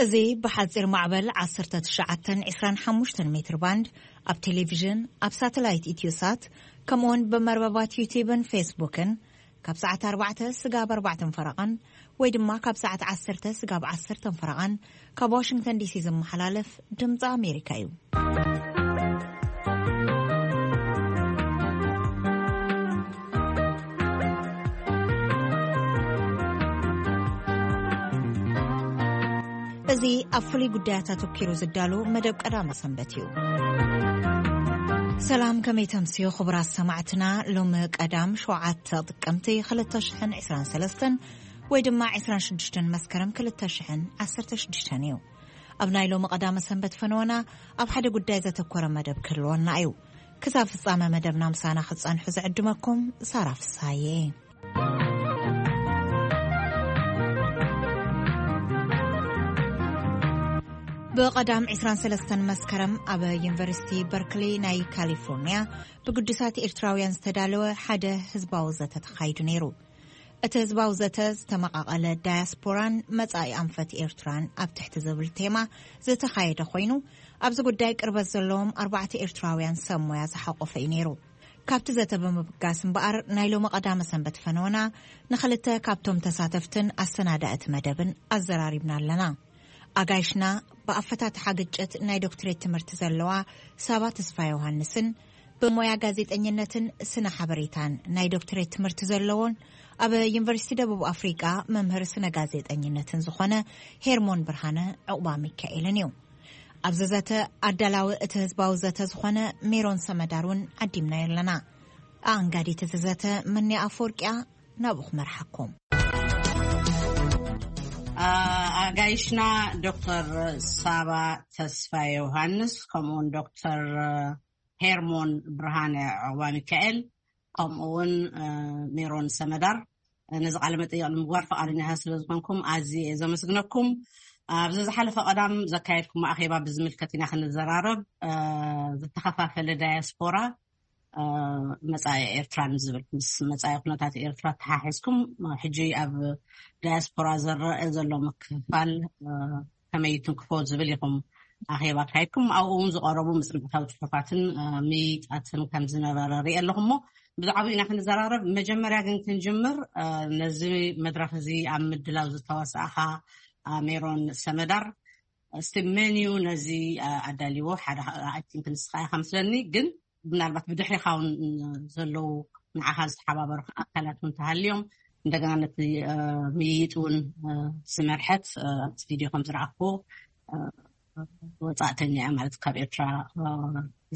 እዚ ብሓጺር ማዕበል ዓሰርተ ትሽዓተን ዕስራን ሓሙሽተን ሜትር ባንድ፣ ኣብ ቴሌቪዥን፣ ኣብ ሳተላይት ኢትዮሳት፣ ከምኡውን ብመርበባት ዩቲዩብን ፌስቡክን ካብ ሰዓት ኣርባዕተ ስጋብ ኣርባዕተን ፈረቓን ወይ ድማ ካብ ሰዓት ዓሰርተ ስጋብ ዓሰርተን ፈረቓን ካብ ዋሽንግተን ዲሲ ዝመሓላለፍ ድምፂ ኣሜሪካ እዩ። እዚ ኣብ ፍሉይ ጉዳያት ኣተኪሩ ዝዳሎ መደብ ቀዳመ ሰንበት እዩ። ሰላም፣ ከመይ ተምስዮ ክቡራት ሰማዕትና? ሎሚ ቀዳም ሸውዓተ ጥቅምቲ ክልተ ሽሕን ዕስራን ሰለስተን ወይ ድማ ዕስራን ሽዱሽተን መስከረም ክልተ ሽሕን ዓሰርተ ሽዱሽተን እዩ። ኣብ ናይ ሎሚ ቀዳመ ሰንበት ፈነወና ኣብ ሓደ ጉዳይ ዘተኮረ መደብ ክህልወና እዩ። ክሳብ ፍጻመ መደብና ምሳና ክትጸንሑ ዝዕድመኩም ሳራ ፍሳዬ። ብቐዳም ዕስራን ሰለስተን መስከረም ኣብ ዩኒቨርሲቲ በርክሊ ናይ ካሊፎርኒያ ብግዱሳት ኤርትራውያን ዝተዳለወ ሓደ ህዝባዊ ዘተ ተኻይዱ ነይሩ። እቲ ህዝባዊ ዘተ ዝተመቓቐለ ዳያስፖራን መጻኢ ኣንፈት ኤርትራን ኣብ ትሕቲ ዝብል ቴማ ዝተኻየደ ኮይኑ፣ ኣብዚ ጉዳይ ቅርበት ዘለዎም ኣርባዕተ ኤርትራውያን ሰብ ሞያ ዝሓቖፈ እዩ ነይሩ። ካብቲ ዘተ ብምብጋስ እምበኣር፣ ናይ ሎሚ ቀዳመ ሰንበት ፈነወና ንኽልተ ካብቶም ተሳተፍትን ኣሰናዳእቲ መደብን ኣዘራሪብና ኣለና። ኣጋይሽና ብኣፈታትሓ ግጭት ናይ ዶክትሬት ትምህርቲ ዘለዋ ሳባ ተስፋ ዮሃንስን ብሞያ ጋዜጠኝነትን ስነ ሓበሬታን ናይ ዶክትሬት ትምህርቲ ዘለዎን ኣብ ዩኒቨርሲቲ ደቡብ ኣፍሪቃ መምህር ስነ ጋዜጠኝነትን ዝኾነ ሄርሞን ብርሃነ ዕቑባ ሚካኤልን እዩ። ኣብዚ ዘተ ኣዳላዊ እቲ ህዝባዊ ዘተ ዝኾነ ሜሮን ሰመዳር እውን ዓዲምናዮ ኣለና። ኣኣንጋዲት እቲ ዘተ መኒ ኣፈወርቂያ ናብኡ ክመርሓኩም። ኣ-፣ ኣጋይሽና ዶክተር ሳባ ተስፋ ዮሃንስ፣ ከምኡውን ዶክተር ሄርሞን ብርሃነ ዕቑባ ሚካኤል፣ ከምኡውን፣ እ፣ ሜሮን ሰመዳር፣ ነዚ ቃለ መጠይቕ ንምግባር ፈቓደኛታት ስለ ዝኾንኩም ኣዝየ እየ ዘመስግነኩም። ኣብዚ ዝሓለፈ ቀዳም ዘካየድኩም ኣኼባ ብዝምልከት ኢና ክንዘራረብ። እ፣ ዝተኸፋፈለ ዳያስፖራ፣ እ፣ መጻኢ ኤርትራ ንዝብል፣ ምስ መጻኢ ኩነታት ኤርትራ ተሓሒዝኩም፣ ሕጂ ኣብ ዳያስፖራ ዝረአ ዘሎ ምክፍፋል፣ እ፣ ከመይ ይትንክፎ ዝብል ኢኹም ኣኼባ ኣካይድኩም። ኣብኡ እውን ዝቐረቡ መጽናዕታዊ ጽሑፋትን፣ እ፣ ምይይጣትን ከም ዝነበረ ርኢ ኣለኹ። እሞ ብዛዕባኡ ኢና ክንዘራረብ። መጀመርያ ግን ክንጅምር፣ እ፣ ነዚ መድረኽ እዚ ኣብ ምድላው ዝተዋሳእኻ፣ እ፣ ሜሮን ሰመዳር፣ እስቲ መን እዩ ነዚ፣ እ፣ ኣዳልዎ? ሓደ፣ I think ንስኻ ኢኻ መስለኒ፣ ግን ምናልባት ብድሕሪኻ እውን ዘለዉ ንዓኻ ዝተሓባበሩ ኣካላት እውን ተሃልዮም፣ እንደገና ነቲ፣ እ፣ ምይይጥ እውን፣ እ፣ ዝመርሐት፣ እ፣ ኣብቲ ቪድዮ ከም ዝረኣኽዎ፣ እ፣ ወጻእተኛ እያ ማለት ካብ ኤርትራ፣ እ፣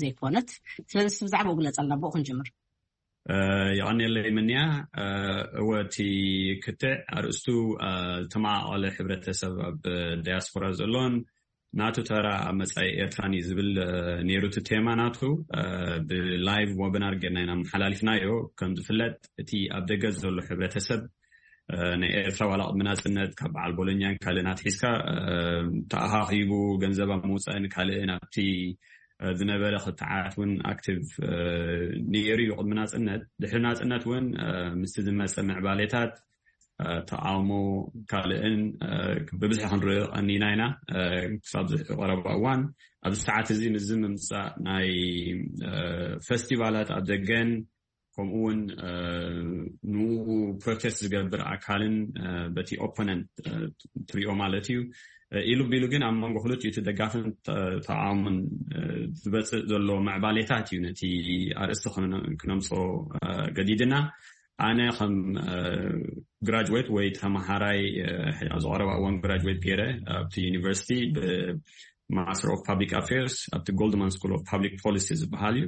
ዘይኮነት። ስለዚ ብዛዕባኡ ግለጸልና፣ ብኡ ክንጅምር። እ፣ የቐንየለይ ምንያ። እ፣ እወ፣ እቲ ክትዕ ኣርእስቱ፣ እ፣ ዝተመቓቐለ ሕብረተሰብ ኣብ ዳያስፖራ ዘሎን ናቱ ተራ ኣብ መጻኢ ኤርትራን እዩ ዝብል፣ እ፣ ነይሩ እቲ ቴማ ናቱ። እ፣ ብላይቭ ወብናር ጌርና ኢና መሓላሊፍናዮ። ከም ዝፍለጥ፣ እቲ ኣብ ደገ ዘሎ ሕብረተሰብ፣ እ፣ ናይ ኤርትራ ዋላ ቅድሚ ናጽነት ካብ በዓል ቦሎኛን ካልእን ኣትሒዝካ፣ እ፣ ተኣኻኺቡ ገንዘብ ኣብ ምውጻእን ካልእን ኣብቲ፣ እ፣ ዝነበረ ክትዓት እውን ኣክቲቭ፣ እ፣ ነይሩ እዩ ቅድሚ ናጽነት። ድሕሪ ናጽነት እውን፣ እ፣ ምስቲ ዝመጸ ምዕባሌታት፣ እ፣ ተቃውሞ ካልእን፣ እ፣ ብብዝሒ ክንርኢ ቀኒና ኢና። እ፣ ክሳብ ዝሕዚ ቀረባ እዋን ኣብዚ ሰዓት እዚ ምስዚ ምምጻእ ናይ፣ እ፣ ፈስቲቫላት ኣብ ደገን ከምኡ እውን፣ እ፣ ንኡ ፕሮቴስት ዝገብር ኣካልን፣ እ፣ በቲ ኦፖነንት፣ እ፣ ትሪኦ ማለት እዩ። እ፣ ኢሉ ቢሉ ግን ኣብ መንጎ ክልቲኡ እቲ ደጋፍን ተ-፣ ተቃውሞን፣ እ፣ ዝበጽእ ዘሎ ምዕባሌታት እዩ ነቲ ኣርእስቲ ክነ-፣ ክነምጽኦ፣ እ፣ ገዲድና። ኣነ ከም፣ እ፣ ግራጅዌት ወይ ተመሃራይ፣ እ፣ ኣብ ዝቐረባ እዋን ግራጅዌት ገይረ ኣብቲ ዩኒቨርሲቲ ብማስተር ኦፍ ፓብሊክ ኣፌርስ ኣብቲ ጎልድማን ስኩል ኦፍ ፓብሊክ ፖሊሲ ዝበሃል እዩ።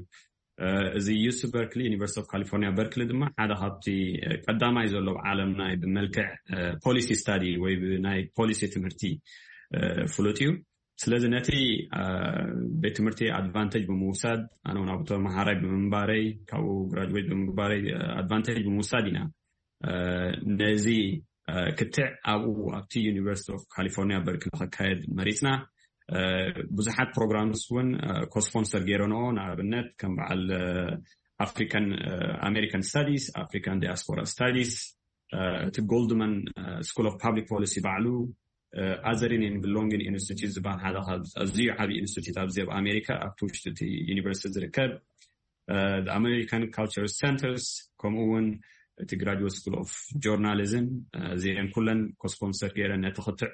እ፣ እዚ ዩሲ በርክሊ፣ ዩኒቨርሲቲ ኦፍ ካሊፎርኒያ በርክሊ ድማ ሓደ ካብቲ፣ እ፣ ቀዳማይ ዘሎ ኣብ ዓለም ናይ ብመልክዕ፣ እ፣ ፖሊሲ ስታዲ ወይ ብናይ ፖሊሲ ትምህርቲ፣ እ፣ ፍሉጥ እዩ። ስለዚ ነቲ፣ እ፣ ቤት ትምህርቲ ኣድቫንቴጅ ብምውሳድ፣ ኣነ እውን ኣብኡ ተመሃራይ ብምንባረይ፣ ካብኡ ግራጅዌት ብምግባረይ፣ እ፣ ኣድቫንቴጅ ብምውሳድ ኢና፣ እ፣ ነዚ፣ እ፣ ክትዕ ኣብኡ ኣብቲ ዩኒቨርሲቲ ኦፍ ካሊፎርኒያ በርክሊ ክካየድ መሪጽና። እ፣ ብዙሓት ፕሮግራምስ እውን፣ እ፣ ኮስፖንሰር ገይረንኦ፣ ንኣብነት ከም በዓል፣ እ፣ ኣፍሪካን፣ እ፣ ኣሜሪካን ስታዲስ፣ ኣፍሪካን ዲያስፖራ ስታዲስ፣ እ፣ እቲ ጎልድማን፣ እ፣ ስኩል ኦፍ ፓብሊክ ፖሊሲ ባዕሉ፣ ኣዘሪን ብሎንግን ኢንስቲትዩት ዝበሃል ሓደ ካብ ኣዝዩ ዓብዪ ኢንስቲትዩት ኣብዚ ኣብ ኣሜሪካ ኣብቲ ውሽጢ እቲ ዩኒቨርሲቲ ዝርከብ ኣሜሪካን ካልቸር ሰንተርስ፣ ከምኡ እውን እቲ ግራጅዌት ስኩል ኦፍ ጆርናሊዝም፣ እዚአን ኩለን ኮስፖንሰር ገይረን ነቲ ክትዕ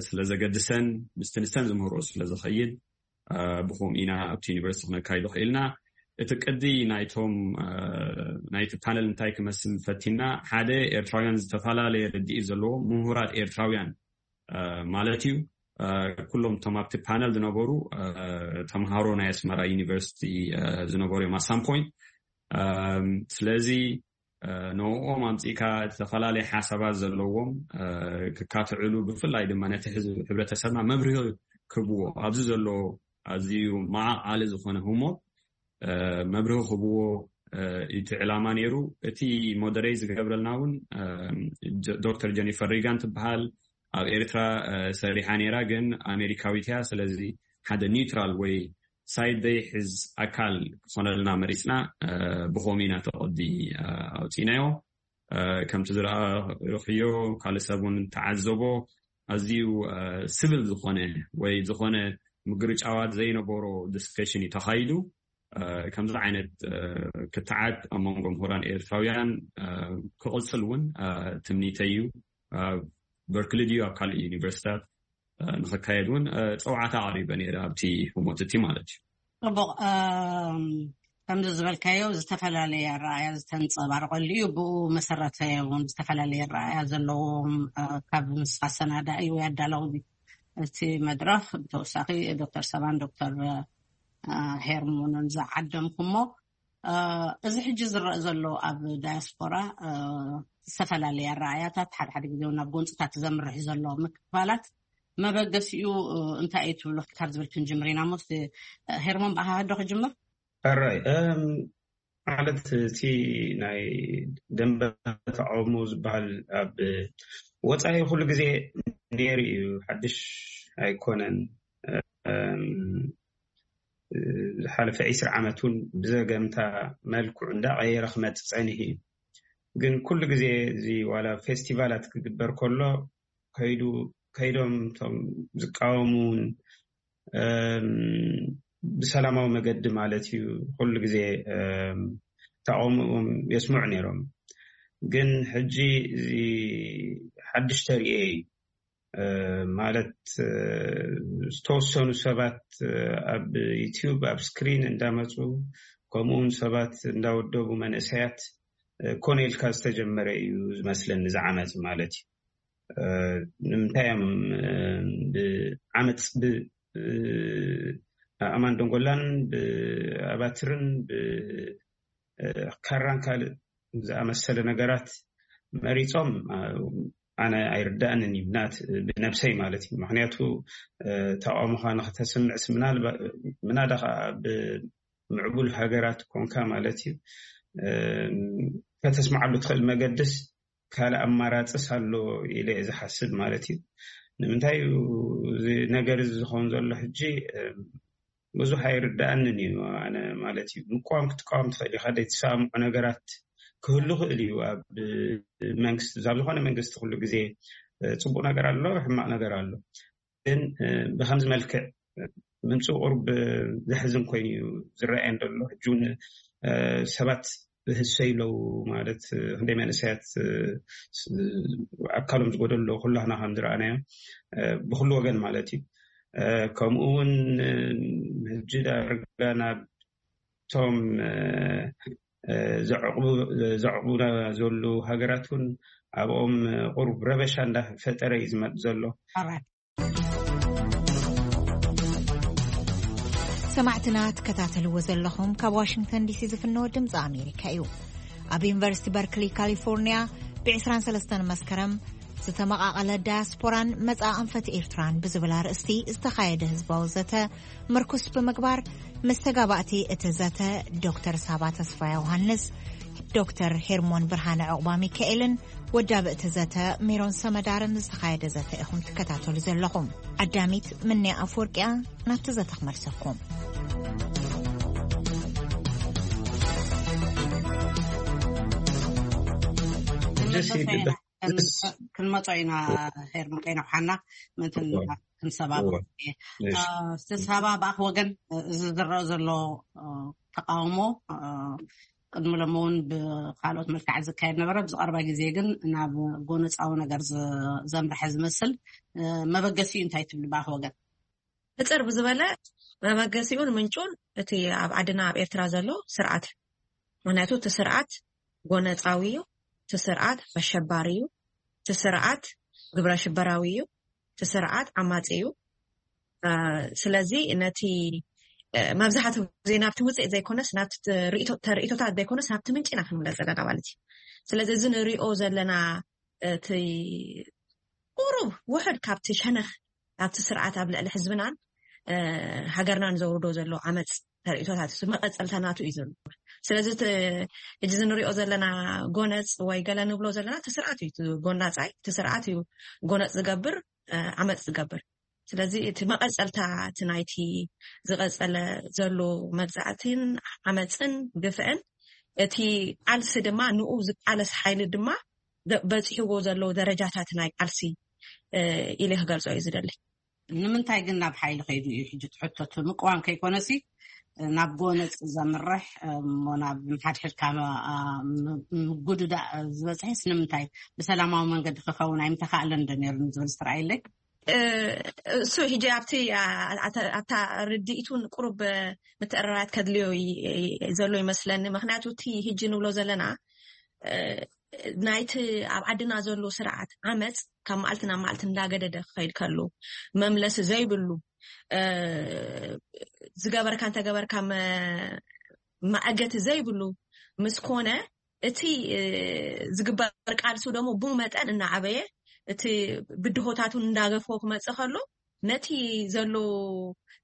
ስለ ዘገድሰን ምስቲ ንሰን ዝምህሮ ስለ ዝኸይድ ብኹም ኢና ኣብቲ ዩኒቨርሲቲ ክነካይዶ ክኢልና። እቲ ቅዲ ናይቶም ናይቲ ፓነል እንታይ ክመስል ፈቲና፣ ሓደ ኤርትራውያን ዝተፈላለየ ርድኢት ዘለዎ ምሁራት ኤርትራውያን ማለት እዩ። ኩሎም እቶም ኣብቲ ፓነል ዝነበሩ ተምሃሮ ናይ ኣስመራ ዩኒቨርሲቲ ዝነበሩ እዮም ኣሳም ፖይንት። ስለዚ ንኦም ኣምፂእካ ዝተፈላለየ ሓሳባት ዘለዎም ክካትዕሉ፣ ብፍላይ ድማ ነቲ ህዝቢ፣ ሕብረተሰብና መብርሂ ክህብዎ፣ ኣብዚ ዘሎ ኣዝዩ መዓቃሊ ዝኾነ ህሞት መብርሂ ክህብዎ እቲ ዕላማ ነይሩ። እቲ ሞደሬት ዝገብረልና እውን ዶክተር ጀኒፈር ሪጋን ትበሃል፣ ኣብ ኤርትራ ሰሪሓ ነይራ፣ ግን ኣሜሪካዊት እያ። ስለዚ ሓደ ኒውትራል ወይ ሳይድ ዘይሕዝ ኣካል ክኾነልና መሪፅና፣ ብኸምኡ ኢና ተቐዲ ኣውፂእናዮ። ከምቲ ዝረኣኽዮ፣ ካልእ ሰብ እውን ተዓዘቦ፣ ኣዝዩ ስብል ዝኾነ ወይ ዝኾነ ምግርጫዋት ዘይነበሮ ዲስከሽን እዩ ተኻይዱ። ከምዚ ዓይነት ክትዓት ኣብ መንጎ ምሁራን ኤርትራውያን ክቕፅል እውን ትምኒተይ እዩ። ኣብ በርክሊ ድዩ ኣብ ካልእ ዩኒቨርሲታት ንኽካየድ እውን ፀውዓታ ኣቕሪበ ነይረ ኣብቲ ህሞት እቲ ማለት እዩ። ፅቡቕ። ከምዚ ዝበልካዮ ዝተፈላለየ ኣረኣያ ዝተንፀባረቐሉ እዩ። ብኡ መሰረተ እውን ዝተፈላለየ ኣረኣያ ዘለዎም ካብ ምስ ኣሰናዳኢ ወይ ኣዳለዊ እቲ መድረኽ ብተወሳኺ ዶክተር ሰባን ዶክተር ሄርሞንን ዝዓደምኩሞ፣ እዚ ሕጂ ዝረአ ዘሎ ኣብ ዳያስፖራ ዝተፈላለየ ኣረኣያታት፣ ሓደ ሓደ ግዜ ናብ ጎንፅታት ዘምርሕ ዘሎ ምክፋላት መበገሲኡ እንታይ እዩ ትብሉ? ካብ ዝብል ክንጅምር ኢና። ሞስ ሄርሞን፣ ብኣኻ ዶ ክጅምር? ሕራይ ማለት እቲ ናይ ደንበ ተቃውሞ ዝበሃል ኣብ ወፃኢ ኩሉ ግዜ ነይሩ እዩ፣ ሓድሽ ኣይኮነን። ዝሓለፈ ዒስራ ዓመት እውን ብዘገምታ መልክዑ እንዳቀየረ ክመፅእ ፀኒሑ እዩ። ግን ኩሉ ግዜ እዚ ዋላ ፌስቲቫላት ክግበር ከሎ ከይዱ ከይዶም እቶም ዝቃወሙ እውን ብሰላማዊ መገዲ ማለት እዩ ኩሉ ግዜ ተቃውሞኦም የስምዑ ነይሮም። ግን ሕጂ እዚ ሓድሽ ተርእዮ እዩ። ማለት ዝተወሰኑ ሰባት ኣብ ዩቲዩብ ኣብ ስክሪን እንዳመፁ፣ ከምኡውን ሰባት እንዳወደቡ፣ መንእሰያት ኮነ ኢልካ ዝተጀመረ እዩ ዝመስለኒ እዚ ዓመት ማለት እዩ። ንምንታይ እዮም ብዓመፅ ብኣእማን ደንጎላን ብኣባትርን ብካራን ካልእ ዝኣመሰለ ነገራት መሪፆም? ኣነ ኣይርዳእንን እዩ ብናት ብነብሰይ ማለት እዩ። ምክንያቱ ተቃውሞካ ንክተስምዕስ ምናዳ ከዓ ብምዕቡል ሃገራት ኮንካ ማለት እዩ ከተስምዓሉ ትኽእል መገድስ ካልእ ኣማራፅስ ኣሎ ኢለ እየ ዝሓስብ ማለት እዩ። ንምንታይ እዩ እዚ ነገር እዚ ዝኸውን ዘሎ ሕጂ ብዙሕ ኣይርዳእንን እዩ ኣነ ማለት እዩ። ምቋም ክትቃወም ትኽእል ኢኻ፣ ዘይትሰማምዖ ነገራት ክህሉ ክእል እዩ ኣብ መንግስቲ። ኣብ ዝኾነ መንግስቲ ኩሉ ግዜ ፅቡቅ ነገር ኣሎ፣ ሕማቅ ነገር ኣሎ። ግን ብከምዚ መልክዕ ምምፅኡ ቁሩብ ዘሕዝን ኮይኑ እዩ ዝረኣየን ዘሎ። ሕጂ እውን ሰባት ብህሰይ ኣለዉ ማለት ክንደይ መንእሰያት ኣካሎም ዝጎደሉ ኣለዉ ኩላህና ከም ዝረኣናዮ ብኩሉ ወገን ማለት እዩ። ከምኡ እውን ሕጂ ዳርጋ ናብቶም ዘዕቑቡና ዘለዉ ሃገራት እውን ኣብኦም ቁሩብ ረበሻ እንዳፈጠረ እዩ ዝመፅ ዘሎ። ሰማዕትና ትከታተልዎ ዘለኹም ካብ ዋሽንግተን ዲሲ ዝፍነወ ድምፂ ኣሜሪካ እዩ። ኣብ ዩኒቨርሲቲ በርክሊ ካሊፎርኒያ ብ23 መስከረም ዝተመቓቐለ ዳያስፖራን መፃ ኣንፈት ኤርትራን ብዝብል ኣርእስቲ ዝተኻየደ ህዝባዊ ዘተ ምርኩስ ብምግባር ምስ ተጋባእቲ እቲ ዘተ ዶክተር ሳባ ተስፋ ዮሃንስ፣ ዶክተር ሄርሞን ብርሃነ ዕቑባ ሚካኤልን ወዳብእቲ ዘተ ሜሮን ሰመዳርን ዝተኻየደ ዘተ ኢኹም ትከታተሉ ዘለኹም። ዓዳሚት ምንያ ኣፍወርቅያ ናብቲ ዘተ ክመልሰኩም። ደስ ይብል። ክንመጾ ኢና። ሄርሞን ከይነውሓና ምእንትን ክንሰባብ። እቲ ሰባ ብኣኽ ወገን እዚ ዝረአ ዘሎ ተቃውሞ ቅድሚ ሎም እውን ብካልኦት መልክዓት ዝካየድ ነበረ። ብዝቀርባ ግዜ ግን ናብ ጎነፃዊ ነገር ዘምርሐ ዝመስል መበገሲኡ እንታይ ትብሉ ብኣኽ ወገን? ሕፅር ብዝበለ መበገሲኡን ምንጩን እቲ ኣብ ዓድና ኣብ ኤርትራ ዘሎ ስርዓት እዩ። ምክንያቱ እቲ ስርዓት ጎነፃዊ እዩ። እቲ ስርዓት ኣሸባሪ እዩ። እቲ ስርዓት ግብረ ሽበራዊ እዩ። እቲ ስርዓት ዓማፂ እዩ። ስለዚ ነቲ መብዛሕትኡ ግዜ ናብቲ ውፅኢት ዘይኮነስ ናብቲ ተርእቶታት ዘይኮነስ ናብቲ ምንጪ ኢና ክንምለስ ዘለና ማለት እዩ። ስለዚ እዚ ንሪኦ ዘለና እቲ ቁሩብ ውሕድ ካብቲ ሸነኽ ካብቲ ስርዓት ኣብ ልዕሊ ህዝብናን ሃገርናን ዘውርዶ ዘሎ ዓመፅ ተርእቶታት መቐፀልታ ናቱ እዩ ዘሎ። ስለዚ ሕጂ ንሪኦ ዘለና ጎነፅ ወይ ገለ ንብሎ ዘለና እቲ ስርዓት እዩ ጎናፃይ፣ እቲ ስርዓት እዩ ጎነፅ ዝገብር፣ ዓመፅ ዝገብር። ስለዚ እቲ መቐፀልታ እቲ ናይቲ ዝቐፀለ ዘሎ መግዛእትን ዓመፅን ግፍዕን እቲ ቃልሲ ድማ ንኡ ዝቃለስ ሓይሊ ድማ በፂሕዎ ዘሎ ደረጃታት ናይ ቃልሲ ኢለ ክገልፆ እዩ ዝደሊ። ንምንታይ ግን ናብ ሓይሊ ከይዱ እዩ ሕጂ ትሕቶት ምቅዋም ከይኮነሲ ናብ ጎነፅ ዘምርሕ እሞ ናብ ሓድሕድካ ምጉድዳእ ዝበፅሕስ ንምንታይ ብሰላማዊ መንገዲ ክኸውን ኣይምተካእለን ዶ ነይሩ ንዝብል ዝተረኣየለይ? እሱ ሕጂ ኣብቲ ኣብታ ርድኢቱን ቁሩብ ምትእርራያት ከድልዮ ዘሎ ይመስለኒ። ምክንያቱ እቲ ሕጂ ንብሎ ዘለና ናይቲ ኣብ ዓድና ዘሎ ስርዓት ዓመፅ ካብ መዓልቲ ናብ መዓልቲ እንዳገደደ ክኸይድ ከሎ መምለሲ ዘይብሉ ዝገበርካ እንተገበርካ መኣገቲ ዘይብሉ ምስ ኮነ እቲ ዝግበር ቃልሱ ደሞ ብኡ መጠን እናዓበየ እቲ ብድሆታቱ እንዳገፍዎ ክመፅእ ከሎ ነቲ ዘሎ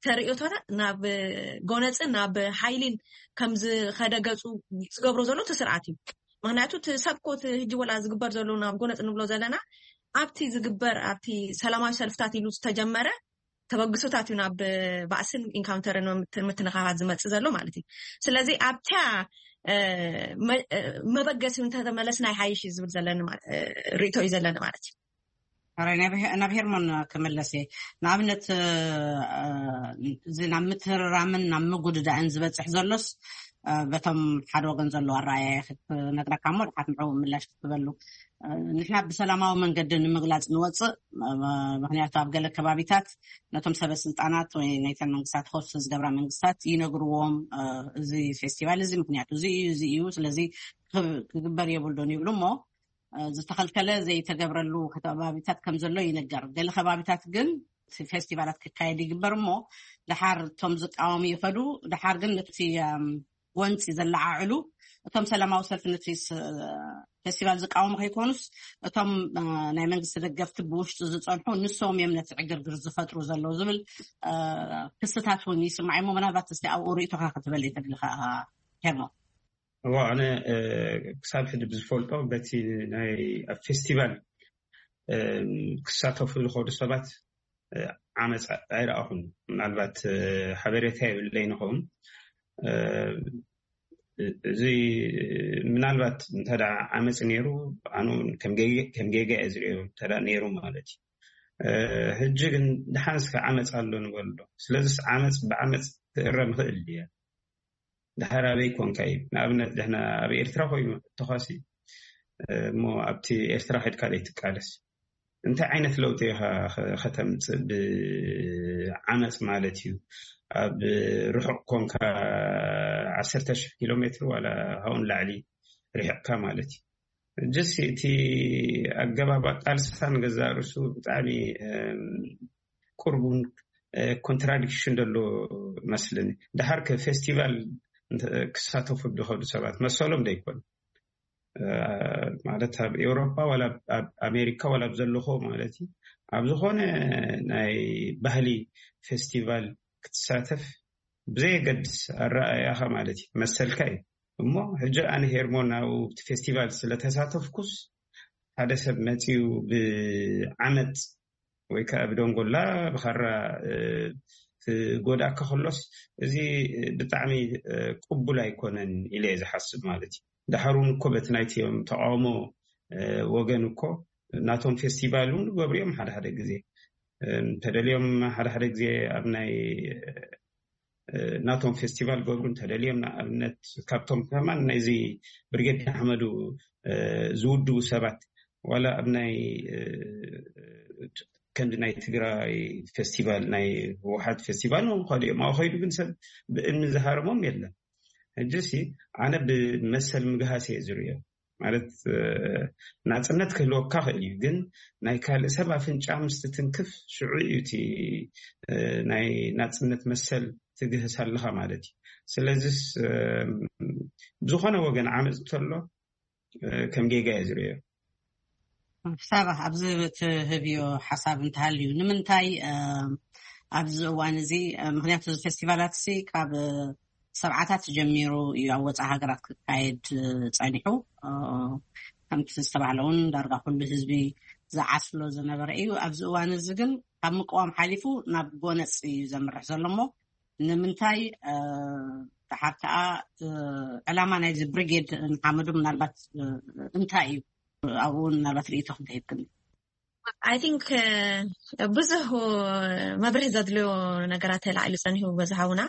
ተርእዮታት ናብ ጎነፅን ናብ ሓይሊን ከምዝኸደ ገፁ ዝገብሮ ዘሎ እቲ ስርዓት እዩ። ምክንያቱ እቲ ሰብ ኮ እቲ ሕጂ ወላ ዝግበር ዘሎ ናብ ጎነፅ ንብሎ ዘለና ኣብቲ ዝግበር ኣብቲ ሰላማዊ ሰልፍታት ኢሉ ዝተጀመረ ተበግሶታት እዩ ናብ ባእስን ኢንካውንተርን ምትንኻፋት ዝመፅእ ዘሎ ማለት እዩ። ስለዚ ኣብታ መበገሲ እንተተመለስና ይሓይሽ እዩ ዝብል ዘለኒ ርእቶ እዩ ዘለኒ ማለት እዩ። ሕራይ ናብ ሄርሞን ክምለስ እየ። ንኣብነት እዚ ናብ ምትህርራምን ናብ ምጉድዳእን ዝበፅሕ ዘሎስ በቶም ሓደ ወገን ዘሎ ኣረኣያ ክትነግረካ እሞ ድሓት ንዕኡ ምላሽ ክትበሉ። ንሕና ብሰላማዊ መንገዲ ንምግላፅ ንወፅእ። ምክንያቱ ኣብ ገለ ከባቢታት ነቶም ሰበ ስልጣናት ወይ ናይተን መንግስታት ሆስት ዝገብራ መንግስታት ይነግርዎም፣ እዚ ፌስቲቫል እዚ ምክንያቱ እዚ እዩ፣ እዚ እዩ፣ ስለዚ ክግበር የብሉን ይብሉ እሞ ዝተኸልከለ ዘይተገብረሉ ከባቢታት ከም ዘሎ ይንገር። ገለ ከባቢታት ግን ፌስቲቫላት ክካየድ ይግበር እሞ ድሓር እቶም ዝቃወሙ ይኸዱ፣ ድሓር ግን ነቲ ጎንፂ ዘለዓዕሉ እቶም ሰላማዊ ሰልፊ ነቲ ፌስቲቫል ዝቃወሙ ከይኮኑስ እቶም ናይ መንግስቲ ደገፍቲ ብውሽጢ ዝፀንሑ ንሶም እዮም ነቲ ዕግርግር ዝፈጥሩ ዘለዉ ዝብል ክስታት እውን ይስማዕ እሞ ምናልባት እስቲ ኣብኡ ርእቶካ ክትበል እየ ተድልካ ሄርሞ። እዋ ኣነ ክሳብ ሕጂ ብዝፈልጦ በቲ ናይ ኣብ ፌስቲቫል ክሳተፉ ዝኸዱ ሰባት ዓመፅ ኣይረኣኹን። ምናልባት ሓበሬታ የብለይ ንኸውን። እዚ ምናልባት እንተ ዓመፅ ነይሩ ኣነ ከም ጌጋ እየ ዝሪኦ እንተ ነይሩ ማለት እዩ። ሕጂ ግን ደሓንስ ዓመፅ ኣሎ ንበሎ። ስለዚስ ዓመፅ ብዓመፅ ክእረም ይኽእል ድያ? ድሓር ኣበይ ኮንካ እዩ? ንኣብነት ድሕና ኣብ ኤርትራ ኮይኑ ተኳሲ እሞ ኣብቲ ኤርትራ ከድካ ዘይትቃለስ እንታይ ዓይነት ለውጢ ኢኻ ከተምፅእ ብዓመፅ ማለት እዩ? ኣብ ርሑቕ ኮንካ ዓሰርተ ሽሕ ኪሎ ሜትር ዋላ ሃውን ላዕሊ ርሕቕካ ማለት እዩ። ጅስ እቲ ኣገባብ ኣቃልስኻ ንገዛእ ርእሱ ብጣዕሚ ቁርቡን ኮንትራዲክሽን ደሎ መስልኒ። ድሓር ከ ፌስቲቫል ክሳተፉ ዝኸዱ ሰባት መሰሎም ዶ ይኮን? ማለት ኣብ ኤውሮፓ ዋላ ኣብ ኣሜሪካ ዋላ ኣብ ዘለኹ ማለት እዩ ኣብ ዝኾነ ናይ ባህሊ ፌስቲቫል ክትሳተፍ ብዘየገድስ ኣረኣእያኻ ማለት እዩ መሰልካ እዩ። እሞ ሕጂ ኣነ ሄርሞን ኣብኡ እቲ ፌስቲቫል ስለተሳተፍኩስ ሓደ ሰብ መፂኡ ብዓመፅ ወይ ከዓ ብደንጎላ ብኻራ ክጎድኣካ ከሎስ እዚ ብጣዕሚ ቅቡል ኣይኮነን ኢለ እየ ዝሓስብ ማለት እዩ። ድሓር እውን እኮ በቲ ናይቲኦም ተቃውሞ ወገን እኮ ናቶም ፌስቲቫል እውን ዝገብሩ እዮም። ሓደ ሓደ ግዜ እንተደልዮም ሓደ ሓደ ግዜ ኣብ ናይ ናቶም ፌስቲቫል ገብሩ እንተደልዮም፣ ንኣብነት ካብቶም ከማን ናይዚ ብርጌድ ንሓመዱ ዝውድቡ ሰባት ዋላ ኣብ ናይ ከምዚ ናይ ትግራይ ፌስቲቫል፣ ናይ ህወሓት ፌስቲቫል ንክኸዱ እዮም። ኣብ ከይዱ ግን ሰብ ብእምኒ ዝሃረሞም የለን። ሕጂ ሲ ኣነ ብመሰል ምግሃስ እየ ዝርእዮ። ማለት ናፅነት ክህልወካ ክእል እዩ፣ ግን ናይ ካልእ ሰብ ኣፍንጫ ምስ ትትንክፍ ሽዑ እዩ እቲ ናይ ናፅነት መሰል ትግህስ ኣለኻ ማለት እዩ። ስለዚስ ብዝኾነ ወገን ዓመፅ እንተሎ ከም ጌጋ እየ ዝርእዮ። ሳባ፣ ኣብዚ ትህብዮ ሓሳብ እንተሃልዩ፣ ንምንታይ ኣብዚ እዋን እዚ? ምክንያቱ እዚ ፌስቲቫላት ሲ ካብ ሰብዓታት ጀሚሩ እዩ ኣብ ወፃኢ ሃገራት ክካየድ ፀኒሑ። ከምቲ ዝተባህለ እውን ዳርጋ ኩሉ ህዝቢ ዝዓስሎ ዝነበረ እዩ። ኣብዚ እዋን እዚ ግን ካብ ምቅዋም ሓሊፉ ናብ ጎነፅ እዩ ዘምርሕ ዘሎ። እሞ ንምንታይ ድሓር ከዓ ዕላማ ናይዚ ብሪጌድ ንሓመዱ ምናልባት እንታይ እዩ? ኣብኡ ምናልባት ርእይቶ ክንተሂብክን። I think ብዙሕ መብርህ ዘድልዮ ነገራት ተላዒሉ ፀኒሑ በዝሓውና።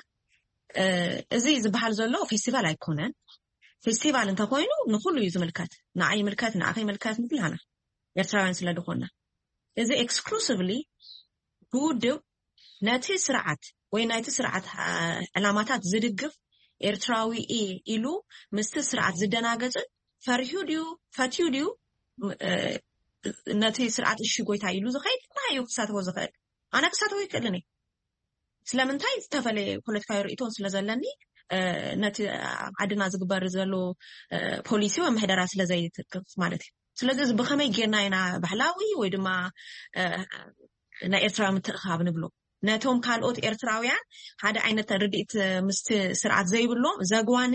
እዚ ዝበሃል ዘሎ ፌስቲቫል ኣይኮነን። ፌስቲቫል እንተኮይኑ ንኩሉ እዩ ዝምልከት። ንዓይ ይምልከት፣ ንዓኸ ይምልከት ንኩላና ኤርትራውያን ስለ ዝኾንና። እዚ exclusively ብውድብ ነቲ ስርዓት ወይ ናይቲ ስርዓት ዕላማታት ዝድግፍ ኤርትራዊ እየ ኢሉ ምስቲ ስርዓት ዝደናገፅን ፈሪሑ ድዩ ፈትዩ ድዩ ነቲ ስርዓት እሺ ጎይታ ኢሉ ዝኸይድ ንዓይ እዩ ክሳተፎ ዝኽእል። ኣነ ክሳተፎ ይክእልን እየ። ስለምንታይ? ዝተፈለየ ፖለቲካዊ ርእይቶን ስለ ዘለኒ፣ ነቲ ኣብ ዓድና ዝግበር ዘሎ ፖሊሲ ወይ ምሕደራ ስለ ዘይትቅፍ ማለት እዩ። ስለዚ እዚ ብኸመይ ጌርና ኢና ባህላዊ ወይ ድማ ናይ ኤርትራዊ ምትእኻብ ንብሎ? ነቶም ካልኦት ኤርትራውያን ሓደ ዓይነት ርድኢት ምስቲ ስርዓት ዘይብሎም ዘግዋኒ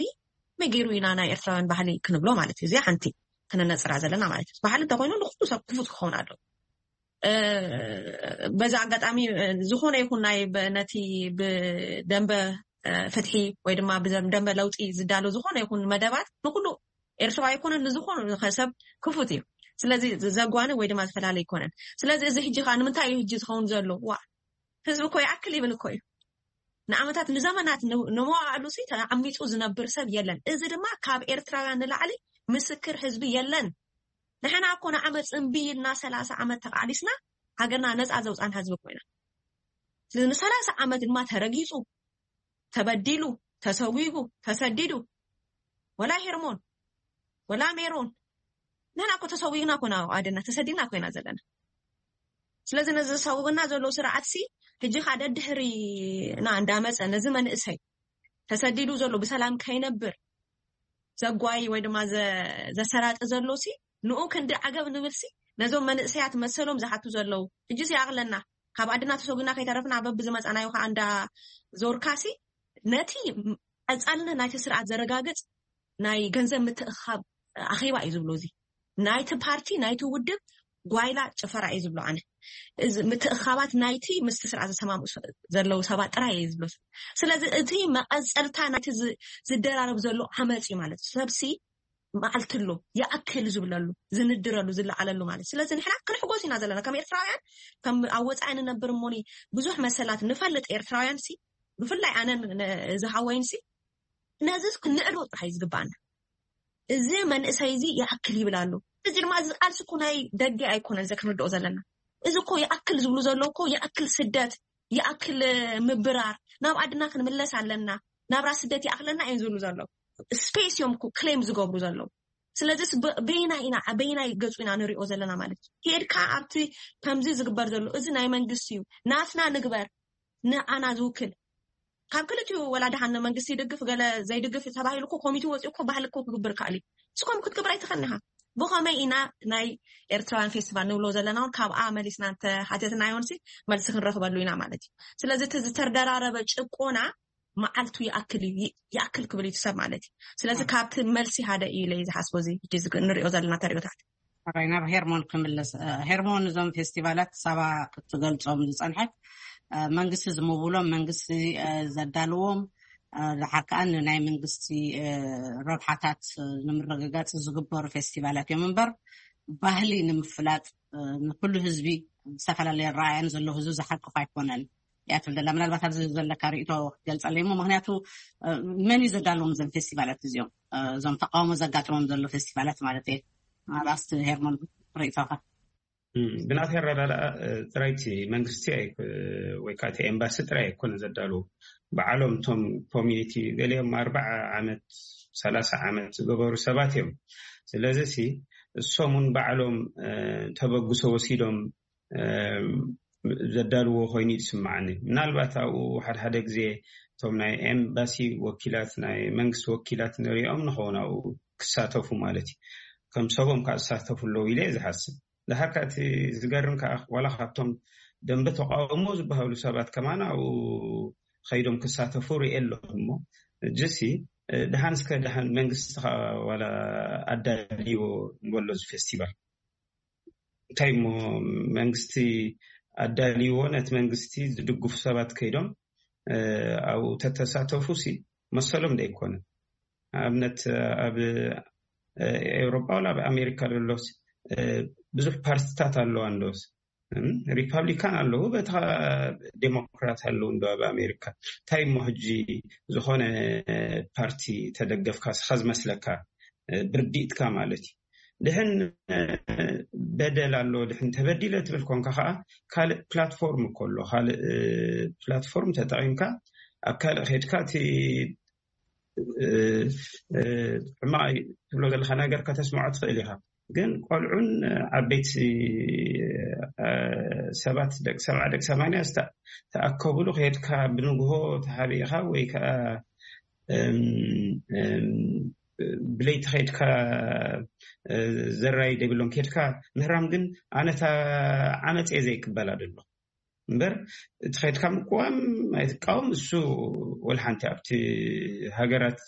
መገይሩ ኢና ናይ ኤርትራውያን ባህሊ ክንብሎ ማለት እዩ። እዚኣ ሓንቲ ክነነፅራ ዘለና ማለት እዩ። ባህሊ እንተኮይኑ ንኩሉ ሰብ ክፉት ክኸውን ኣለዎ። በዚ ኣጋጣሚ ዝኾነ ይኹን ናይ ነቲ ብደንበ ፍትሒ ወይ ድማ ብደንበ ለውጢ ዝዳሎ ዝኾነ ይኹን መደባት ንኩሉ ኤርትራዊ ኣይኮነን፣ ንዝኾነ ሰብ ክፉት እዩ። ስለዚ ዘጓኒ ወይ ድማ ዝፈላለ ኣይኮነን። ስለዚ እዚ ሕጂ ከዓ ንምንታይ እዩ ሕጂ ዝኸውን ዘሎ? ዋ ህዝቢ እኮ ይኣክል ይብል እኮ እዩ። ንዓመታት ንዘመናት ንመዋዕሉ ሲ ተዓሚፁ ዝነብር ሰብ የለን። እዚ ድማ ካብ ኤርትራውያን ንላዕሊ ምስክር ህዝቢ የለን። ንሕና እኮ ንዓመፅ እምቢ ኢልና ሰላሳ ዓመት ተቃሊስና ሃገርና ነፃ ዘውፃን ህዝቢ ኮይና። ስለዚ ንሰላሳ ዓመት ድማ ተረጊፁ፣ ተበዲሉ፣ ተሰዊጉ፣ ተሰዲዱ፣ ወላ ሄርሞን ወላ ሜሮን ንሕና እኮ ተሰዊግና ኮና ኣደና ተሰዲና ኮይና ዘለና። ስለዚ ነዚ ዝሰውግና ዘሎ ስርዓት ሲ ሕጂ ከዓ ደድሕሪና እንዳመፀ ነዚ መንእሰይ ተሰዲዱ ዘሎ ብሰላም ከይነብር ዘጓይ ወይ ድማ ዘሰራጢ ዘሎ ሲ ንኡ ክንዲ ዓገብ ንብል ሲ ነዞም መንእሰያት መሰሎም ዝሓቱ ዘለዉ ሕጂ ሲ ኣቕለና ካብ ኣድና ተሰጉና ከይተረፍና በብ ዝመፃናዮ ከዓ እንዳ ዞርካ ሲ ነቲ ቀፃልነት ናይቲ ስርዓት ዘረጋግፅ ናይ ገንዘብ ምትእኻብ ኣኼባ እዩ ዝብሎ። እዚ ናይቲ ፓርቲ ናይቲ ውድብ ጓይላ ጭፈራ እዩ ዝብሎ። ኣነ እዚ ምትእኻባት ናይቲ ምስቲ ስርዓት ዝሰማምኡ ዘለዉ ሰባት ጥራይ እዩ ዝብሎ። ስለዚ እቲ መቐፀልታ ናይቲ ዝደራረብ ዘሎ ዓመፅ እዩ ማለት እዩ። ሰብሲ መዓልቲ ኣሎ ይኣክል ዝብለሉ ዝንድረሉ ዝለዓለሉ ማለት። ስለዚ ንሕና ክንሕጎስ ኢና ዘለና ከም ኤርትራውያን፣ ከም ኣብ ወፃኢ ንነብር እሞኒ ብዙሕ መሰላት ንፈልጥ ኤርትራውያን ሲ ብፍላይ ኣነን ዝሃወይን ሲ ነዚ ክንዕዶ ጥራሕ እዩ ዝግባኣና። እዚ መንእሰይ እዚ ይኣክል ይብል ኣሎ። እዚ ድማ እዚ ቃልሲ እኮ ናይ ደገ ኣይኮነን። እዚ ክንርድኦ ዘለና እዚ እኮ ይኣክል ዝብሉ ዘለዉ እኮ ይኣክል ስደት፣ ይኣክል ምብራር፣ ናብ ኣድና ክንምለስ ኣለና፣ ናብራ ስደት ይኣክለና እዮም ዝብሉ ዘለዉ። ስፔስ እዮም እኮ ክሌም ዝገብሩ ዘለዉ። ስለዚስ በይና ኢና በይናይ ገፁ ኢና ንሪኦ ዘለና ማለት እዩ። ሄድካ ኣብቲ ከምዚ ዝግበር ዘሎ እዚ ናይ መንግስቲ እዩ ናትና ንግበር ንኣና ዝውክል ካብ ክልቲኡ ወላ ደሓን መንግስቲ ይድግፍ ገለ ዘይድግፍ ተባሂሉ እኮ ኮሚቴ ወፂኡ እኮ ባህሊ እኮ ክግብር ከኣል እዩ። እስኮም ክትግብር ኣይትኽእልኻ። ብኸመይ ኢና ናይ ኤርትራውያን ፌስቲቫል ንብሎ ዘለና እውን ካብኣ መሊስና እንተሓተትና ይሆንሲ መልሲ ክንረኽበሉ ኢና ማለት እዩ። ስለዚ እቲ ዝተደራረበ ጭቆና መዓልቱ ይኣክል እዩ ይኣክል ክብል እዩ ሰብ ማለት እዩ። ስለዚ ካብቲ መልሲ ሓደ እዩ ኢለ ዝሓስቦ እዚ ንሪኦ ዘለና ተሪኦታት። ራይ ናብ ሄርሞን ክምለስ። ሄርሞን እዞም ፌስቲቫላት ሳባ ክትገልፆም ዝፀንሐት መንግስቲ ዝምውሎም መንግስቲ ዘዳልዎም ድሓር ከዓ ንናይ መንግስቲ ረብሓታት ንምርግጋፅ ዝግበሩ ፌስቲቫላት እዮም እምበር ባህሊ ንምፍላጥ ንኩሉ ህዝቢ ዝተፈላለየ ኣረኣእያን ዘለዎ ህዝቢ ዝሓቅፍ ኣይኮነን እያ ትብል ዘላ። ምናልባት ኣብዚ ዘለካ ርእይቶ ክትገልጸለይ እሞ፣ ምክንያቱ መን እዩ ዘዳለዎም እዞም ፌስቲቫላት እዚኦም፣ እዞም ተቃውሞ ዘጋጥሞም ዘሎ ፌስቲቫላት ማለት እየ። ኣብ ኣስቲ ሄርሞን ርእይቶኻ? ብናተይ ኣረዳድኣ ጥራይቲ መንግስቲ ወይ ከዓ እቲ ኤምባሲ ጥራይ ኣይኮነ ዘዳልዎ። በዓሎም እቶም ኮሚኒቲ ገሊኦም ኣርባዓ ዓመት ሰላሳ ዓመት ዝገበሩ ሰባት እዮም። ስለዚ ሲ እሶም እውን ባዕሎም ተበግሶ ወሲዶም ዘዳልዎ ኮይኑ ይስማዓኒ። ምናልባት ኣብኡ ሓደ ሓደ ግዜ እቶም ናይ ኤምባሲ ወኪላት፣ ናይ መንግስቲ ወኪላት ንሪኦም ንኸውን ኣብኡ ክሳተፉ ማለት እዩ። ከም ሰቦም ከዓ ዝሳተፉ ኣለዉ ኢለ እየ ዝሓስብ። ድሓር ከዓ እቲ ዝገርም ከዓ ዋላ ካብቶም ደንበ ተቃውሞ ዝበሃሉ ሰባት ከማን ኣብኡ ከይዶም ክሳተፉ ርኤ ኣለኹ። እሞ እጅሲ ድሓን እስከ ድሓን መንግስቲ ከዓ ዋላ ኣዳልዎ ንበሎ እዚ ፌስቲቫል እንታይ እሞ መንግስቲ ኣዳልዎ፣ ነቲ መንግስቲ ዝድግፉ ሰባት ከይዶም ኣብኡ ተተሳተፉ ሲ መሰሎም ዶ ኣይኮነን? ንኣብነት ኣብ ኤውሮጳ ወላ ኣብ ኣሜሪካ ዘሎስ ብዙሕ ፓርቲታት ኣለዋ እንዶስ ሪፓብሊካን ኣለዉ፣ በታ ዴሞክራት ኣለዉ እንዶ ኣብ ኣሜሪካ። እንታይ እሞ ሕጂ ዝኾነ ፓርቲ ተደገፍካ ስኻ ዝመስለካ ብርዲእትካ ማለት እዩ። ድሕን በደል ኣሎ፣ ድሕን ተበዲለ ትብል ኮንካ ከዓ ካልእ ፕላትፎርም እኮ ኣሎ። ካልእ ፕላትፎርም ተጠቒምካ ኣብ ካልእ ከድካ እቲ ሕማቕ ትብሎ ዘለካ ነገር ከተስምዖ ትኽእል ኢኻ። ግን ቆልዑን ዓበይቲ ሰባት ደቂ ሰብዓ ደቂ ሰማንያ ዝተኣከብሉ ከድካ ብንግሆ ተሃቢእካ ወይ ከዓ ብለይቲ ከድካ ዘራይ ደብሎም ከድካ ምህራም ግን ኣነታ ዓመፅ እየ ዘይቅበላ ደሎ እምበር እቲ ከድካ ምቅዋም ኣይትቃወም። እሱ ወልሓንቲ ኣብቲ ሃገራት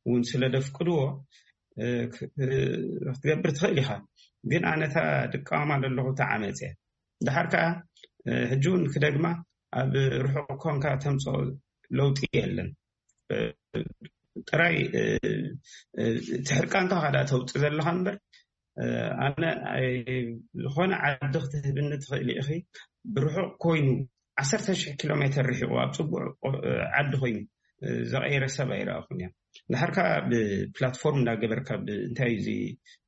እውን ስለ ደፍቅድዎ ክትገብር ትኽእል ኢኻ። ግን ኣነታ ድቃወማ ዘለኹ ተዓመፅ እያ። ድሓር ከዓ ሕጂ እውን ክደግማ ኣብ ርሑቕ ኮንካ ተምፅኦ ለውጢ የለን። ጥራይ እቲ ሕርቃንካ ካዳ ተውፅእ ዘለካ እምበር ኣነ ዝኾነ ዓዲ ክትህብኒ ትኽእል ኢኺ። ብርሑቕ ኮይኑ ዓሰርተ ሽሕ ኪሎ ሜትር ርሒቑ ኣብ ፅቡቅ ዓዲ ኮይኑ ዘቐየረ ሰብ ኣይረኣኹን እያ። ድሓር ከዓ ብፕላትፎርም እንዳገበርካ እንታይ እዚ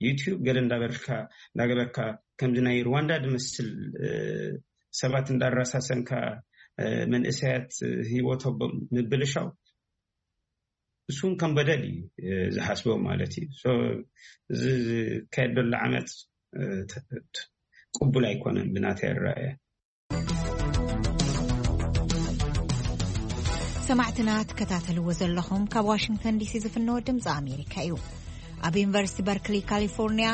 ዩቲዩብ ገለ እንዳበርካ እንዳገበርካ ከምዚ ናይ ሩዋንዳ ዝመስል ሰባት እንዳራሳሰንካ መንእሰያት ህይወቶም ምብልሻው እሱን ከም በደል እዩ ዝሓስቦ ማለት እዩ። እዚ ዝካየድ ዘሎ ዓመፅ ቅቡል ኣይኮነን ብናተይ ኣረኣእያ። ሰማዕትና ትከታተልዎ ዘለኹም ካብ ዋሽንግተን ዲሲ ዝፍነወ ድምፂ ኣሜሪካ እዩ። ኣብ ዩኒቨርሲቲ በርክሊ ካሊፎርኒያ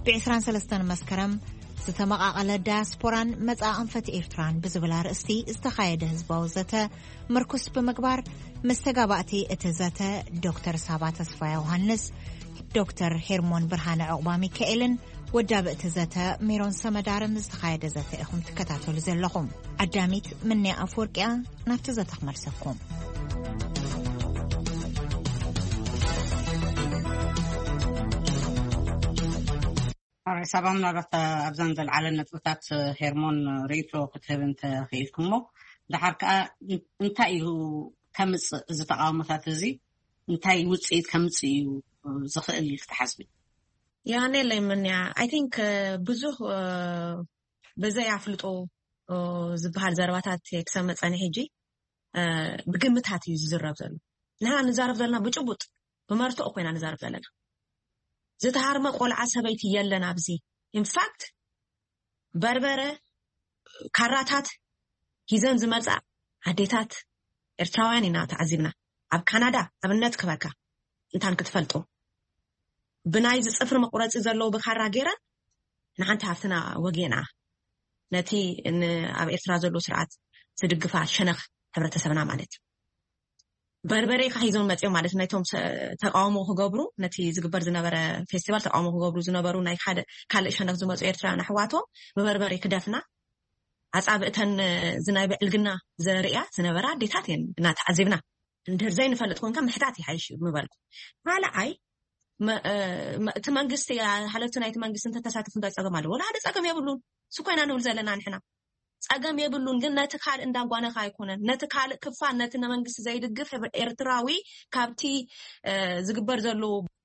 ብ23 መስከረም ዝተመቓቐለ ዳያስፖራን መጻኢ ኣንፈት ኤርትራን ብዝብል ኣርእስቲ ዝተኻየደ ህዝባዊ ዘተ ምርኩስ ብምግባር፣ መስተጋባእቲ እቲ ዘተ ዶክተር ሳባ ተስፋ ዮሃንስ፣ ዶክተር ሄርሞን ብርሃነ ዕቑባ ሚካኤልን ወዳቢ እቲ ዘተ ሜሮን ሰመዳርን ዝተኻየደ ዘተ ኢኹም ትከታተሉ ዘለኹም። ዓዳሚት ምንያ ኣፍወርቅያ ናብቲ ዘተ ክመልሰኩም። ሳባ፣ ምናልባት ኣብዘን ዘልዓለን ነጥብታት ሄርሞን ርእይቶ ክትህብ እንተኽኢልኩሞ፣ ድሓር ከዓ እንታይ እዩ ከምፅእ፣ እዚ ተቃውሞታት እዚ እንታይ ውፅኢት ከምፅእ እዩ ዝኽእል ክትሓስቢ? የሃኔለይ ምንያ፣ I think ብዙሕ ብዘይ ኣፍልጦ ዝበሃል ዘረባታት ክሰምዕ ፀኒሐ። ሕጂ ብግምታት እዩ ዝዝረብ ዘሎ። ንሕና ንዛረብ ዘለና ብጭቡጥ ብመርትኦ ኮይና ንዛረብ ዘለና። ዝተሃርመ ቆልዓ ሰበይቲ የለን ኣብዚ። ኢንፋክት በርበረ ካራታት ሂዘን ዝመፃ ኣዴታት ኤርትራውያን ኢና ተዓዚብና። ኣብ ካናዳ ኣብነት ክበካ እንታን ክትፈልጡ ብናይ ዝፅፍሪ መቁረፂ ዘለዉ ብካራ ገይረን ንሓንቲ ሃፍትና ወጊና ነቲ ኣብ ኤርትራ ዘሎ ስርዓት ዝድግፋ ሸነኽ ሕብረተሰብና ማለት እዩ። በርበሬ ካ ሒዞም መፅኦም ማለት ናይቶም ተቃውሞ ክገብሩ፣ ነቲ ዝግበር ዝነበረ ፌስቲቫል ተቃውሞ ክገብሩ ዝነበሩ ናይ ሓደ ካልእ ሸነኽ ዝመፁ ኤርትራውያን ኣሕዋቶም ብበርበሬ ክደፍና ኣፃብእተን ዝናይ ብዕልግና ዘርእያ ዝነበራ ኣዴታት እየን እና ተዓዚብና። እንድሕር ዘይንፈልጥ ኮንካ ምሕታት ይሓይሽ እዩ ምበልኩ። ካልኣይ መ- እ፣ መ- እቲ መንግስቲ፣ ሓለፍቲ ናይቲ መንግስቲ እንተተሳተፉ እንታይ ጸገም ኣለዎ? ወላ ሓደ ጸገም የብሉን። እሱ ኮይና ንብል ዘለና ንሕና ጸገም የብሉን። ግን ነቲ ካልእ እንዳጓነኻ ኣይኮነን፣ ነቲ ካልእ ክፋል፣ ነቲ ንመንግስቲ ዘይድግፍ ኤርትራዊ ካብቲ እ፣ ዝግበር ዘሎ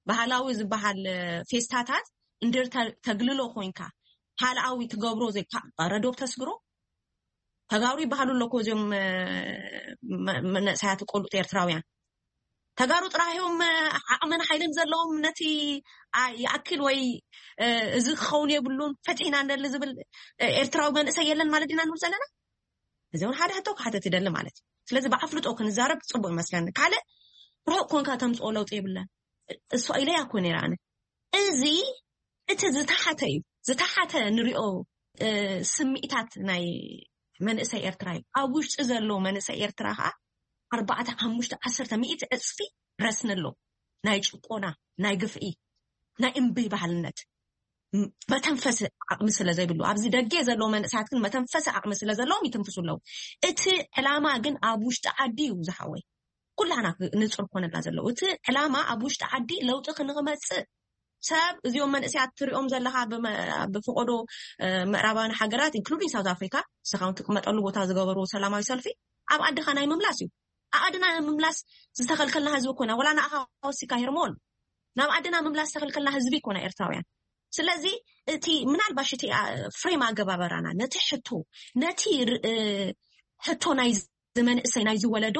ባህላዊ ዝበሃል እ፣ ፌስታታት እንድር ተ- ተግልሎ ኮይንካ ካልኣዊ ትገብሮ ዘይ ረ ዶብ ተስግሮ። ተጋሩ ይበሃሉ ኣለኮ እዚኦም እ፣ መ- መንእሰያት ቆልዑት ኤርትራውያን። ተጋሩ ጥራሕ እዮም እ፣ ዓቕምን ሓይልን ዘለዎም ነቲ ኣ- ይኣክል ወይ እ፣ እዚ ክኸውን የብሉን ፈትሒና ንደሊ ዝብል እ፣ ኤርትራዊ መንእሰይ የለን ማለት ዲና ንብል ዘለና። እዚ እውን ሓደ ሕቶ ክሓተት ይደሊ ማለት እዩ። ስለዚ ብኣፍልጦ ክንዛረብ ጽቡቅ ይመስለኒ። ካልእ ርሑቅ ኮንካ ተምጽኦ ለውጢ የብለን። እሱ ኢለያ እኮ ነይረ ኣነ። እዚ እቲ ዝተሓተ እዩ። ዝተሓተ ንሪኦ እ፣ ስምዒታት ናይ መንእሰይ ኤርትራ እዩ። ኣብ ውሽጢ ዘሎ መንእሰይ ኤርትራ ከዓ ኣርባዕተ ሓሙሽተ ዓሰርተ ሚእቲ ዕጽፊ ረስኒ ኣሎ። ናይ ጭቆና፣ ናይ ግፍዒ፣ ናይ እምቢ ባህልነት ም- መተንፈሲ ዓቕሚ ስለ ዘይብሉ፣ ኣብዚ ደገ ዘለዉ መንእሰያት ግን መተንፈሲ ዓቕሚ ስለ ዘለዎም ይትንፍሱ ኣለዉ። እቲ ዕላማ ግን ኣብ ውሽጢ ዓዲ እዩ ዝሓወይ። ኩላና ንጹር ኮነና ዘለዉ እቲ ዕላማ ኣብ ውሽጢ ዓዲ ለውጢ ክንክመጽእ ሰብ እዚኦም መንእሰያት ትሪኦም ዘለኻ ብመ- ብፍቆዶ እ፣ ምዕራባውያን ሃገራት ኢንክሉዲንግ ሳውት ኣፍሪካ ንስኻ እውን ትቅመጠሉ ቦታ ዝገበሩ ሰላማዊ ሰልፊ ኣብ ዓድኻ ናይ ምምላስ እዩ። ኣብ ዓድና ምምላስ ዝተኸልከልና ህዝቢ ኮና ወላ ንኣኻ ወሲካ ሄርሞን ናብ ዓድና ምምላስ ዝተኸልከልና ህዝቢ ኮና ኤርትራውያን። ስለዚ እቲ ምናልባሽ እቲ አ- ፍሬም ኣገባበራና ነቲ ሕቶ ነቲ ር- እ፣ ሕቶ ናይ ዝመንእሰይ ናይ ዝወለዶ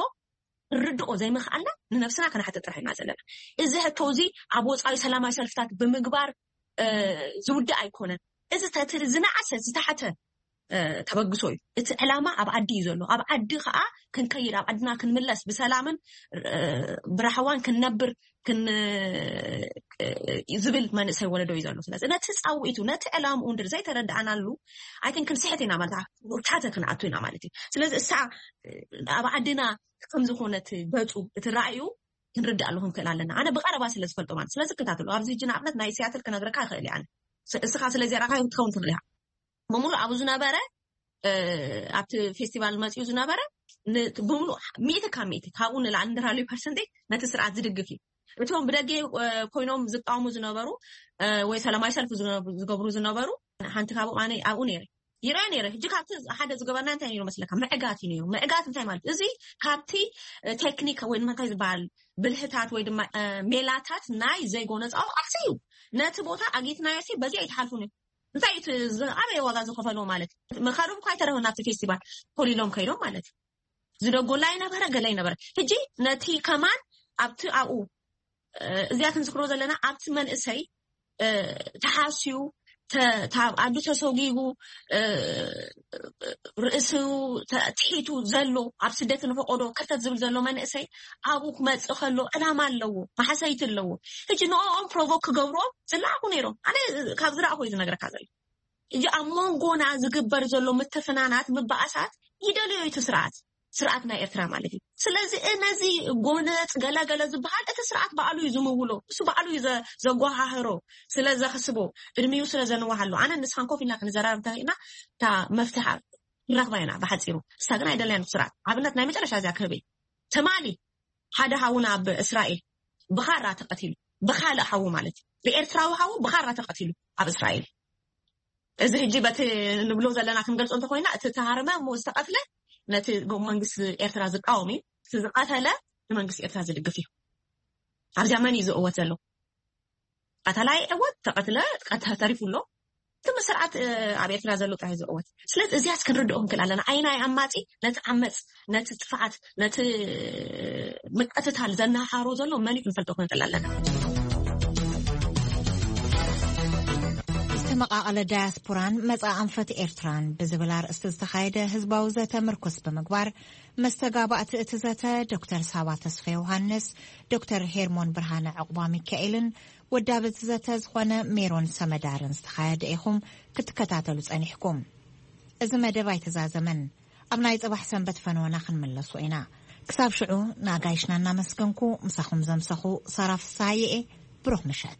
ርድኦ ዘይምኽኣልና ንነብስና ከነሓትት ጥራሕ ኢና ዘለና። እዚ ሕቶ እዚ ኣብ ወፃኢ ሰላማዊ ሰልፍታት ብምግባር እ፣ ዝውዳእ ኣይኮነን። እዚ ተት- ዝነኣሰ ዝተሓተ እ፣ ተበግሶ እዩ። እቲ ዕላማ ኣብ ዓዲ እዩ ዘሎ። ኣብ ዓዲ ከዓ ክንከይድ ኣብ ዓድና ክንምለስ ብሰላምን እ፣ ብራህዋን ክንነብር ክን ዝብል መንእሰይ ወለዶ እዩ ዘሎ። ስለዚ ነቲ ፃውዒቱ ነቲ ዕላምኡ እንድር ዘይተረዳእናሉ ኣይን ክንስሕት ኢና ማለት እ፣ ታተ ክንኣቱ ኢና ማለት እዩ። ስለዚ እሳ እ፣ ኣብ ዓድና ከም ዝኾነት ገፁ እቲ ራእዩ ክንርዳእ ኣለኹ ንክእል ኣለና። ኣነ ብቀረባ ስለ ዝፈልጦ ማለት ስለዚ ክታተሉ ኣብዚ ሕጂ ንኣብነት ናይ ሲያትል ክነግረካ ይኽእል እየ። ኣነ ስ- እስኻ ስለዚ ራእኻ ክትኸውን ትኽእል ኢኻ። ብምሉእ ኣብኡ ዝነበረ እ፣ ኣብቲ ፌስቲቫል መፅኡ ዝነበረ ን- ብምሉእ ሚእቲ ካብ ሚእቲ ካብኡ ንላዕሊ ንራሊ ፐርሰንቴጅ ነቲ ስርዓት ዝድግፍ እዩ። እቶም ብደገ እ፣ ኮይኖም ዝቃወሙ ዝነበሩ እ፣ ወይ ሰላማዊ ሰልፊ ዝነ- ዝገብሩ ዝነበሩ ሓንቲ ካብኡ ኣነ ኣብኡ ነይረ ይረአ ነይረ። ሕጂ ካብቲ ሓደ ዝገበርና እንታይ ነይሩ መስለካ? ምዕጋት እዩ ነይሩ። ምዕጋት እንታይ ማለት እዚ ካብቲ እ፣ ቴክኒክ ወይ ድማ እንታይ ዝበሃል ብልህታት ወይ ድማ እ፣ ሜላታት ናይ ዘይጎነፃዊ ቃልሲ እዩ። ነቲ ቦታ ኣጊትናዮ ሲ በዚ ኣይትሓልፉን እዩ። እንታይ እቲ ዝ- ኣበይ ዋጋ ዝኸፈሎ ማለት እዩ? መኻርብ እኳ ኣይተረፈ ናብቲ ፌስቲቫል ኮሊሎም ከይዶም ማለት እዩ። ዝደጎላ ይነበረ ገለ ይነበረ። ሕጂ ነቲ ከማን ኣብቲ ኣብኡ እ፣ እዚኣ ክንዝክሮ ዘለና ኣብቲ መንእሰይ እ፣ ተሓስዩ ተ- ታብ ኣዱ ተሰጊጉ እ፣ ርእሱ ተ- ትሒቱ ዘሎ ኣብ ስደት ንፈቆዶ ከርተት ዝብል ዘሎ መንእሰይ ኣብኡ ክመፅእ ከሎ ዕላማ ኣለዎ፣ ማሕሰይቲ ኣለዎ። ሕጂ ንኦም ፕሮቮክ ክገብርዎም ዝለኣኹ ነይሮም። ኣነ ካብ ዝረኣኹ እዩ ዝነግረካ ዘሎ። ሕጂ ኣብ መንጎና ዝግበር ዘሎ ምትፍናናት ምባእሳት ይደልዮ እቲ ስርዓት ስርዓት ናይ ኤርትራ ማለት እዩ። ስለዚ ነዚ ጎነፅ ገለገለ ዝበሃል እቲ ስርዓት ባዕሉ እዩ ዝምውሎ፣ እሱ ባዕሉ እዩ ዘ- ዘጓሃህሮ ስለ ዘኽስቦ እድሚኡ ስለ ዘንዋሃሎ ኣነ ንስኻን ኮፍ ኢልና ክንዘራረብ እንተኽእልና እታ መፍትሓ ንረኽባ ኢና ብሓፂሩ። እሳ ግን ኣይደለያን ስርዓት ኣብነት ናይ መጨረሻ እዚኣ ክህበይ ትማሊ ሓደ ሓውና ኣብ እስራኤል ብኻራ ተቐቲሉ፣ ብኻልእ ሓዉ ማለት እዩ፣ ብኤርትራዊ ሓዉ ብኻራ ተቐቲሉ ኣብ እስራኤል። እዚ ሕጂ በቲ ንብሎ ዘለና ክንገልጾ እንተኮይና እቲ ተሃረመ እሞ ዝተቐትለ ነቲ ጎ- መንግስቲ ኤርትራ ዝቃወም እዩ። እቲ ዝቐተለ ንመንግስቲ ኤርትራ ዝድግፍ እዩ። ኣብዚኣ መን እዩ ዝእወት ዘሎ? ቀተላ ይዕወት፣ ተቐትለ ቀተ- ተሪፉ ኣሎ። እቲ ስርዓት እ፣ ኣብ ኤርትራ ዘሎ ጥራሕ እዩ ዝእወት። ስለዚ እዚያስ ክንርድኦ ክንክእል ኣለና። ኣይናይ ኣማጺ ነቲ ዓመፅ፣ ነቲ ጥፍዓት፣ ነቲ ምቅትታል ዘናሃሮ ዘሎ መን እዩ ክንፈልጦ ክንክእል ኣለና። ዝተመቓቐለ ዳያስፖራን መጻ ኣንፈት ኤርትራን ብዝብል ኣርእስቲ ዝተኻየደ ህዝባዊ ዘተ ምርኩስ ብምግባር መስተጋባእቲ እቲ ዘተ ዶክተር ሳባ ተስፋ ዮሃንስ፣ ዶክተር ሄርሞን ብርሃነ ዕቑባ ሚካኤልን ወዳቢ እቲ ዘተ ዝኾነ ሜሮን ሰመዳርን ዝተኻየደ ኢኹም ክትከታተሉ ጸኒሕኩም። እዚ መደብ ኣይተዛዘመን። ኣብ ናይ ጽባሕ ሰንበት ፈነወና ክንምለሶ ኢና። ክሳብ ሽዑ ንኣጋይሽና እናመስገንኩ ምሳኹም ዘምሰኹ ሳራ ፍስሃየ እየ። ብሩኽ ምሸት።